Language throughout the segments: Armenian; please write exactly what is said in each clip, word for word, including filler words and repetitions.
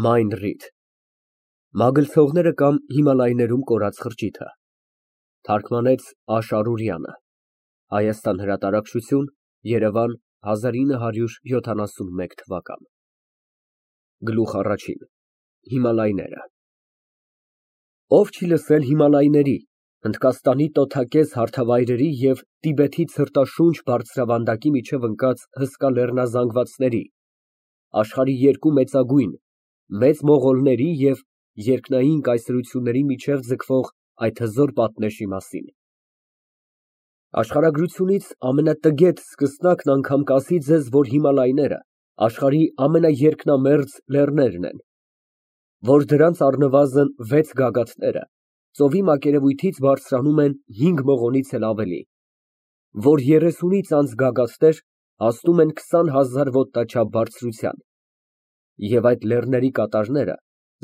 Մայն ռիդ Մագլցողները կամ Հիմալայներում կորած խրճիթը Թարգմանեց Աշարուրյանը Հայաստան հրատարակչություն Երևան հազար ինը հարյուր յոթանասունմեկ Գլուխ առաջին Հիմալայները Ով չի լսել Հիմալայների, Հնդկաստանի տոթակեզ հարթավայրերի և Տիբեթի ցրտաշունչ բարձրավանդակի միջև ընկած հսկա լեռնազանգվածների, աշխարհի երկու մեծագույն, Մեծ Մողոլների և երկնային կայսրությունների միջև ձգվող այդ հզոր պատնեշի մասին։ Աշխարհագրությունից ամենատգետ սկսնակն անգամ կասի ձեզ, որ Հիմալայները աշխարհի ամենաերկնամերձ լեռներն են, որ դրանց առնվազն վեց գագաթները ծովի մակերևույթից բարձրանում են հինգ մղոնից էլ ավելի, որ երեսունից անց գագաթներ հասնում են քսան հազար ոտնաչափ բարձրության, և այդ լեռների կատարները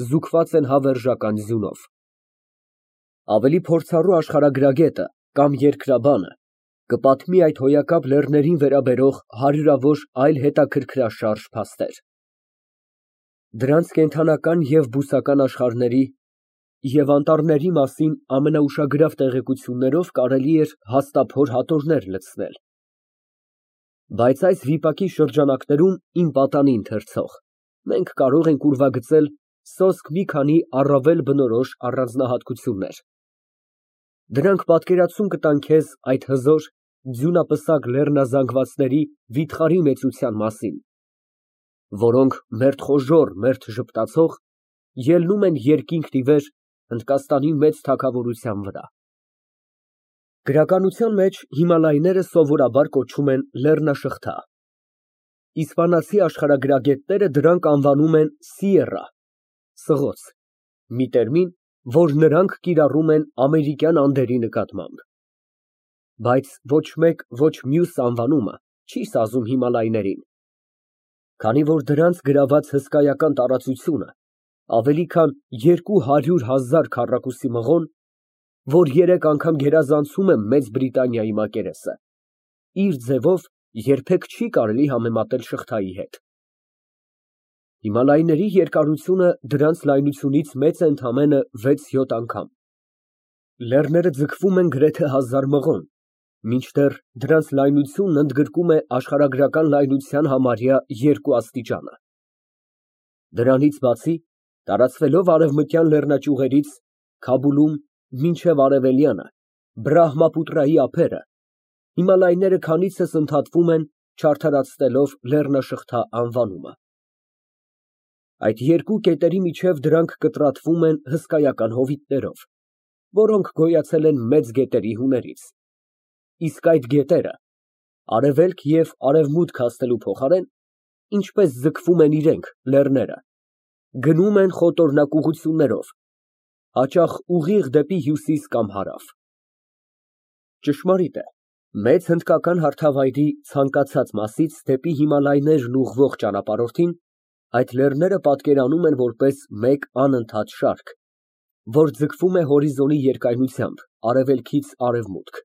զուգված են հավերժական ձյունով։ Ավելի փորձառու աշխարհագրագետը կամ երկրաբանը կպատմի այդ հոյակապ լեռներին վերաբերող հարյուրավոր այլ հետաքրքրաշարժ փաստեր։ Դրանց կենդանական և բուսական աշխարհների և անտառների մասին ամենաուշագրավ տեղեկություններով կարելի էր հաստափոր հատորներ լցնել։ Բայց այս վիպակի շրջանակներում իմ պատանի ընթերցող, մենք կարող ենք ուրվագծել սոսկ մի քանի առավել բնորոշ առանձնահատկություններ։ Դրանք պատկերացում կտան քեզ այդ հզոր, ձյունապսակ լեռնազանգվածների վիթխարի մեծության մասին, որոնք մերթխոժոռ, մերթ ժպտացող, ելնում են երկինքն ի վեր Հնդկաստանի մեծ թագավորության վրա։ Գրականության մեջ Հիմալայները սովորաբար կոչվում են լեռնաշղթա, իսպանացի աշխարհագրագետները դրանք անվանում են Սիեռա (սղոց), մի տերմին, որ նրանք կիրառում են ամերիկյան Անդերի նկատմամբ։ Բայց ոչ մեկ, ոչ մյուս անվանումը չի սազում Հիմալայներին, քանի որ դրանց գրաված հսկայական տարածությունը ավելի քան երկու հարյուր հազար քառակուսի մղոն, որ երեք անգամ գերազանցում է Մեծ Բրիտանիայի մակերեսը, իր ձևով երբեք չի կարելի համեմատել շղթայի հետ։ Հիմալայների երկարությունը դրանց լայնությունից մեծ է ընդամենը վեց֊յոթ անգամ։ Լեռները ձգվում են գրեթե հազար մղոն, մինչդեռ դրանց լայնությունն ընդգրկում է աշխարհագրական լայնության համարյա երկու աստիճանը։ Դրանից բացի, տարածվելով արևմտյան լեռնաճյուղերից Քաբուլում մինչև արևելյանը, Բրահմապուտրայի ափերը, Հիմալայները քանիցս ընդհատվում են, չարդարացնելով լեռնաշղթա անվանումը։ Այդ երկու կետերի միջև դրանք կտրատվում են հսկայական հովիտներով, որոնք գոյացել են մեծ գետերի հուններից, իսկ այդ գետերը, արևելք և արևմուտք հասնելու փոխարեն, ինչպես ձգվում են իրենք, լեռները, գնում են խոտորնակ ուղղություններով, հաճախ ուղիղ դեպի հյուսիս կամ հարավ։ Ճշմարիտ է, մեծ հնդկական հարթավայրի ցանկացած մասից դեպի Հիմալայներն ուղղվող ճանապարհորդին այդ լեռները պատկերանում են որպես մեկ անընդհատ շարք, որ ձգվում է հորիզոնի երկայնությամբ արևելքից արևմուտք,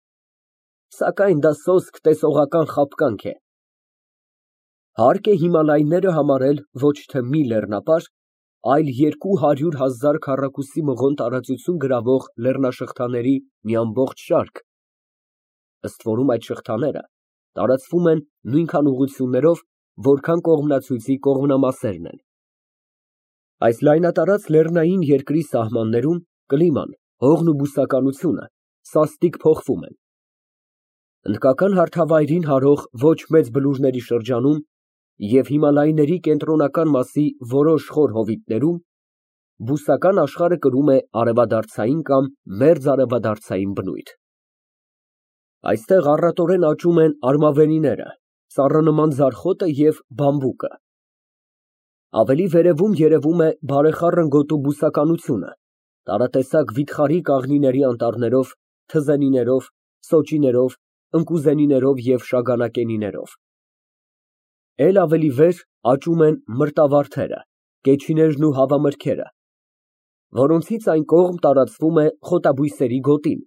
սակայն դա սոսկ տեսողական խաբկանք է։ Հարկ է Հիմալայները համարել ոչ թե մի լեռնապար, այլ երկու հարյուր հազար քառակուսի մղոն տարածություն գրավող լեռնաշղթաների մի ամբողջ շարք, ըստ որում այդ շղթաները տարածվում են նույնքան ուղղություններով, որքան կողմնացույցի կողմնամասերն են։ Այս լայնատարած լեռնային երկրի սահմաններում կլիման, հողն ու բուսականությունը սաստիկ փոխվում են։ Հնդկական հարթավայրին հարող ոչ մեծ բլուրների շրջանում և Հիմալայների կենտրոնական մասի որոշ խոր հովիտներում բուսական աշխարհը կրում է արևադարձային կամ մերձարևադարձային բնույթ։ Այստեղ առատորեն աճում են արմավենիները, ծառանման ձարխոտը և բամբուկը։ Ավելի վերևում երևում է բարեխառն գոտու բուսականությունը, տարատեսակ վիթխարի կաղնիների անտառներով, թզենիներով, սոճիներով, ընկուզենիներով և շագանակենիներով։ Էլ ավելի վեր աճում են մրտավարդերը, կեչիներն ու հավամրգերը, որոնցից այն կողմ տարածվում է խոտաբույսերի գոտին,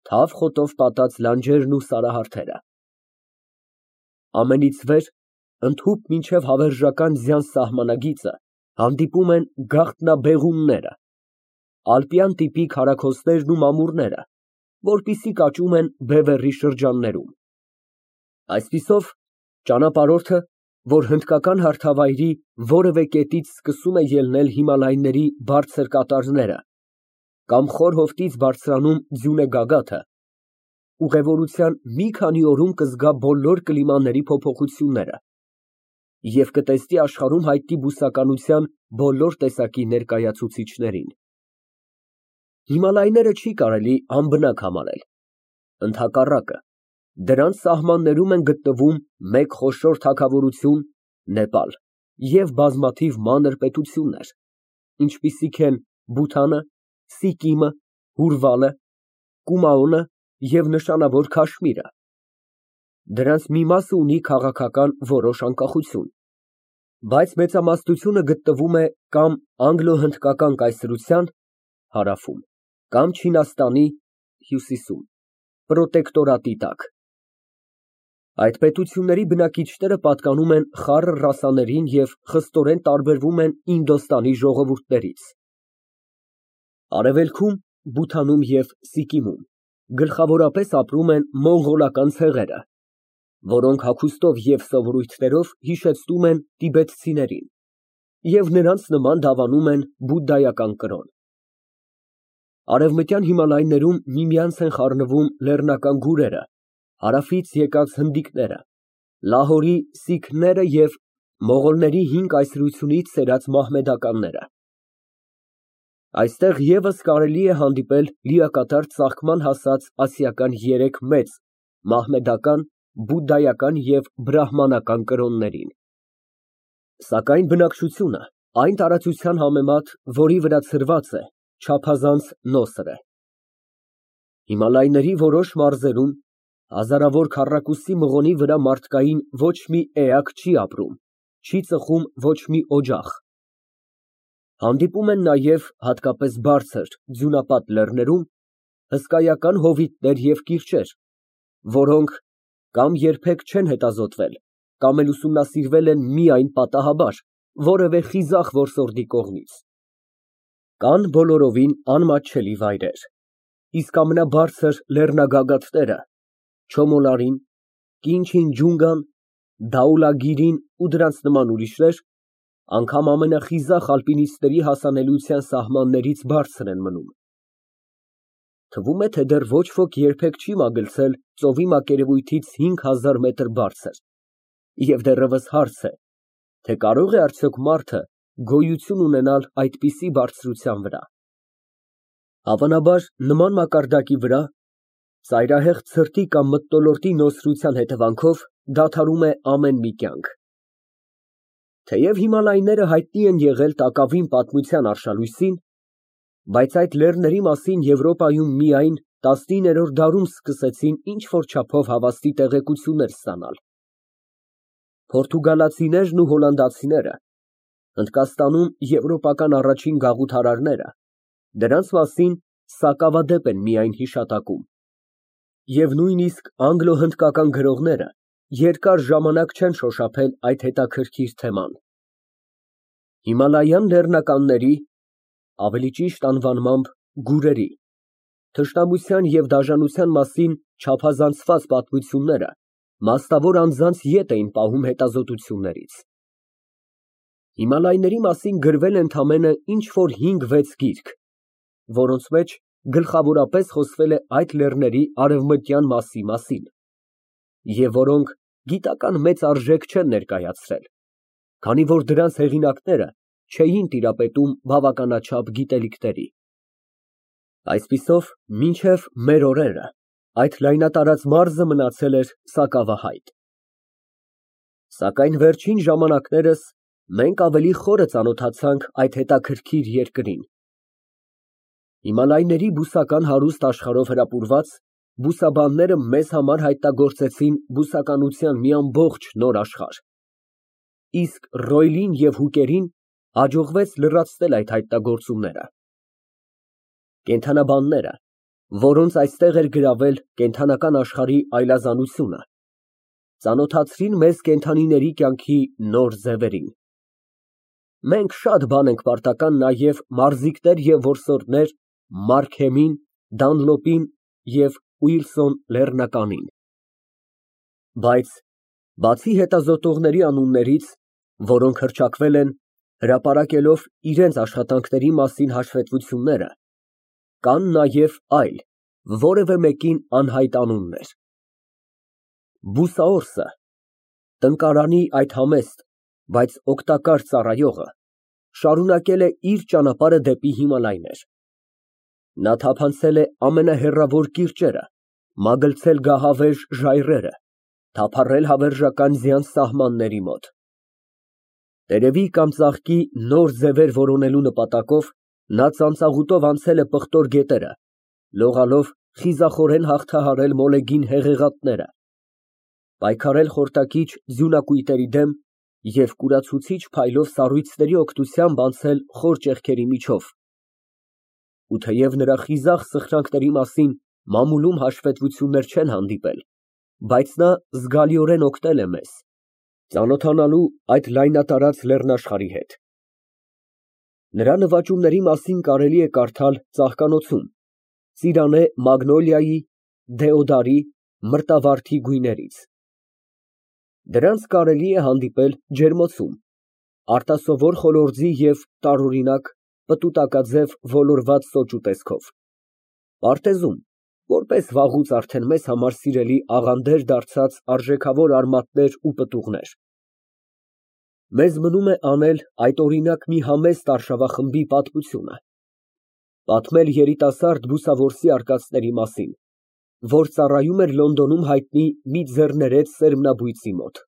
թավ խոտով պատած լանջերն ու սարահարթերը։ Ամենից վեր, ընդհուպ մինչև հավերժական ձյան սահմանագիծը, Հանդիպում են գաղտնաբեղունները, ալպյան տիպի քարաքոստերն ու մամուռները, որպիսի կաճում են Բևեռի շրջաններում։ Այսպիսով, ճանապարհորդը, որ հնդկական հարթավայրի որևէ կետից սկսում է ելնել Հիմալայների բարձր կատարները կամ խոր հովտից բարձրանում ձյունե գագաթը, ուղևորության մի քանի օրում կզգա բոլոր կլիմաների փոփոխությունները և կտեսնի աշխարհում հայտնի բուսականության բոլոր տեսակի ներկայացուցիչներին։ Հիմալայները չի կարելի անբնակ համարել, ընդհակառակը, դրանց սահմաններում են գտնվում մեկ խոշոր թագավորություն՝ Նեպալ և բազմաթիվ մանր պետություններ, ինչպիսիք են Բութանը, Սիկիմը, Հուրվալը, Կումաոնը և նշանավոր Քաշմիրը։ Դրանց մի մասը ունի քաղաքական որոշ անկախություն, բայց մեծամասնությունը գտնվում է կամ անգլո֊հնդկական կայսրության (հարավում) կամ Չինաստանի (հյուսիսում) պրոտեկտորատի տակ։ Այդ պետությունների բնակիչները պատկանում են խառը ռասաներին և խստորեն տարբերվում են Ինդոստանի ժողովուրդներից։ Արևելքում, Բութանում և Սիկիմում գլխավորապես ապրում են մոնղոլական ցեղերը, որոնք հագուստով և սովորույթներով հիշեցնում են տիբետցիներին և նրանց նման դավանում են բուդդայական կրոն։ Արևմտյան Հիմալայներում միմյանց են խառնվում լեռնական գուրերը, հարավից եկած հնդիկները, Լահորի սիկհները և մողոլների հին կայսրությունից սերած մահմեդականները։ Այստեղ ևս կարելի է հանդիպել լիակատար ծաղկման հասած ասիական երեք մեծ՝ մահմեդական, բուդդայական և բրահմանական կրոններին։ Սակայն բնակչությունը այն տարածության համեմատ, որի վրա ցրված է, չափազանց նոսր է։ Հիմալայների որոշ մարզերում հազարավոր քառակուսի մղոնի վրա մարդկային ոչ մի էակ չի ապրում, չի ծխում ոչ մի օջախ։ Հանդիպում են նաև, հատկապես բարձր, ձյունապատ լեռներում, հսկայական հովիտներ և կիրճեր, որոնք կամ երբեք չեն հետազոտվել, կամ էլ ուսումնասիրվել են միայն պատահաբար, որևէ խիզախ որսորդի կողմից։ Կան բոլորովին անմատչելի վայրեր, իսկ ամենաբարձր լեռնագագաթները Չոմոլարին, Կինչինջունգան, Դաուլագիրին ու դրանց նման ուրիշներ անգամ ամենախիզախ ալպինիստների հասանելիության սահմաններից բարձր են մնում։ Թվում է, թե դեռ ոչ ոք երբեք չի մագլցել ծովի մակերևույթից հինգ հազար մետր բարձր, և դեռևս հարց է, թե կարո՞ղ է արդյոք մարդը գոյություն ունենալ այդպիսի բարձրության վրա։ Հավանաբար, նման մակարդակի վրա ծայրահեղ ցրտի կամ մթնոլորտի նոսրության հետևանքով դադարում է ամեն մի կյանք։ Թեև Հիմալայները հայտնի են եղել տակավին պատմության արշալույսին, բայց այդ լեռների մասին Եվրոպայում միայն տասնիններորդ դարում սկսեցին ինչ֊որ չափով հավաստի տեղեկություններ ստանալ։ Պորտուգալացիներն ու հոլանդացիները, Հնդկաստանում եվրոպական առաջին գաղութարարները, դրանց մասին սակավադեպ են միայն հիշատակում, և նույնիսկ անգլո֊հնդկական գրողները երկար ժամանակ չեն շոշափել այդ հետաքրքիր թեման։ Հիմալայան լեռնականների (ավելի ճիշտ անվանմամբ գուրերի) թշնամության և դաժանության մասին չափազանցված պատմությունները մասնավոր անձանց ետ էին պահում հետազոտություններից։ Հիմալայների մասին գրվել է ընդամենը ինչ֊որ հինգ֊վեց գիրք, որոնց մեջ գլխավորապես խոսվել է այդ լեռների արևմտյան մասի մասին, և որոնք գիտական մեծ արժեք չեն ներկայացրել, քանի որ դրանց հեղինակները չէին տիրապետում բավականաչափ գիտելիքների։ Այսպիսով, մինչև մեր օրերը այդ լայնատարած մարզը մնացել էր սակավահայտ։ Սակայն վերջին ժամանակներս մենք ավելի խորը ծանոթացանք այդ հետաքրքիր երկրին։ Հիմալայների բուսական հարուստ աշխարհով հրապուրված, բուսաբանները մեզ համար հայտնագործեցին բուսականության մի ամբողջ նոր աշխարհ, իսկ Ռոյլին և Հուկերին հաջողվեց լրացնել այդ հայտնագործումները։ Կենդանաբանները, որոնց այստեղ էր գրավել կենդանական աշխարհի այլազանությունը, ծանոթացրին մեզ կենդանիների կյանքի նոր ձևերին։ Մենք շատ բան ենք պարտական նաև մարզիկներ և որսորդներ Մարքեմին, Դանլոպին և Ուիլսոն Լեռնականին, բայց բացի հետազոտողների անուններից, որոնք հռչակվել են, հրապարակելով իրենց աշխատանքների մասին հաշվետվությունները, կան նաև այլ, որևէ մեկին անհայտ անուններ. Բուսաորսը, տնկարանի այդ համեստ, բայց օգտակար ծառայողը, շարունակել է իր ճանապարհը դեպի Հիմալայներ. նա թափանցել է ամենահեռավոր կիրճերը, մագլցել գահավեժ ժայռերը, թափառել հավերժական ձյան սահմանների մոտ։ Տերևի կամ ծաղկի նոր ձևեր որոնելու նպատակով նա ծանծաղուտով անցել է պղտոր գետերը, լողալով խիզախորեն հաղթահարել մոլեգին հեղեղատները, պայքարել խորտակիչ ձյունակույտերի դեմ և կուրացուցիչ փայլով սառույցների օգնությամբ անցել խոր ճեղքերի միջով, ու թեև նրա խիզախ սխրանքների մասին մամուլում հաշվետվություններ չեն հանդիպել, բայց նա զգալիորեն օգնել է մեզ, ծանոթանալու այդ լայնատարած լեռնաշխարհի հետ։ Նրա նվաճումների մասին կարելի է կարդալ ծաղկանոցում Ծիրանե մագնոլիայի, դեոդարի, մրտավարդի գույներից։ Դրանց կարելի է հանդիպել ջերմոցում, արտասովոր խոլորձի և տարօրինակ, պտուտակաձև ոլորված սոճու տեսքով, պարտեզում, որպես վաղուց արդեն մեզ համար սիրելի աղանդեր դարձած արժեքավոր արմատներ ու պտուղներ։ Մեզ մնում է անել այդ օրինակ մի համեստ արշավախմբի պատմությունը, պատմել երիտասարդ բուսավորսի արկածների մասին, որ ծառայում էր Լոնդոնում հայտնի մի ձեռներեց սերմնաբույծի մոտ։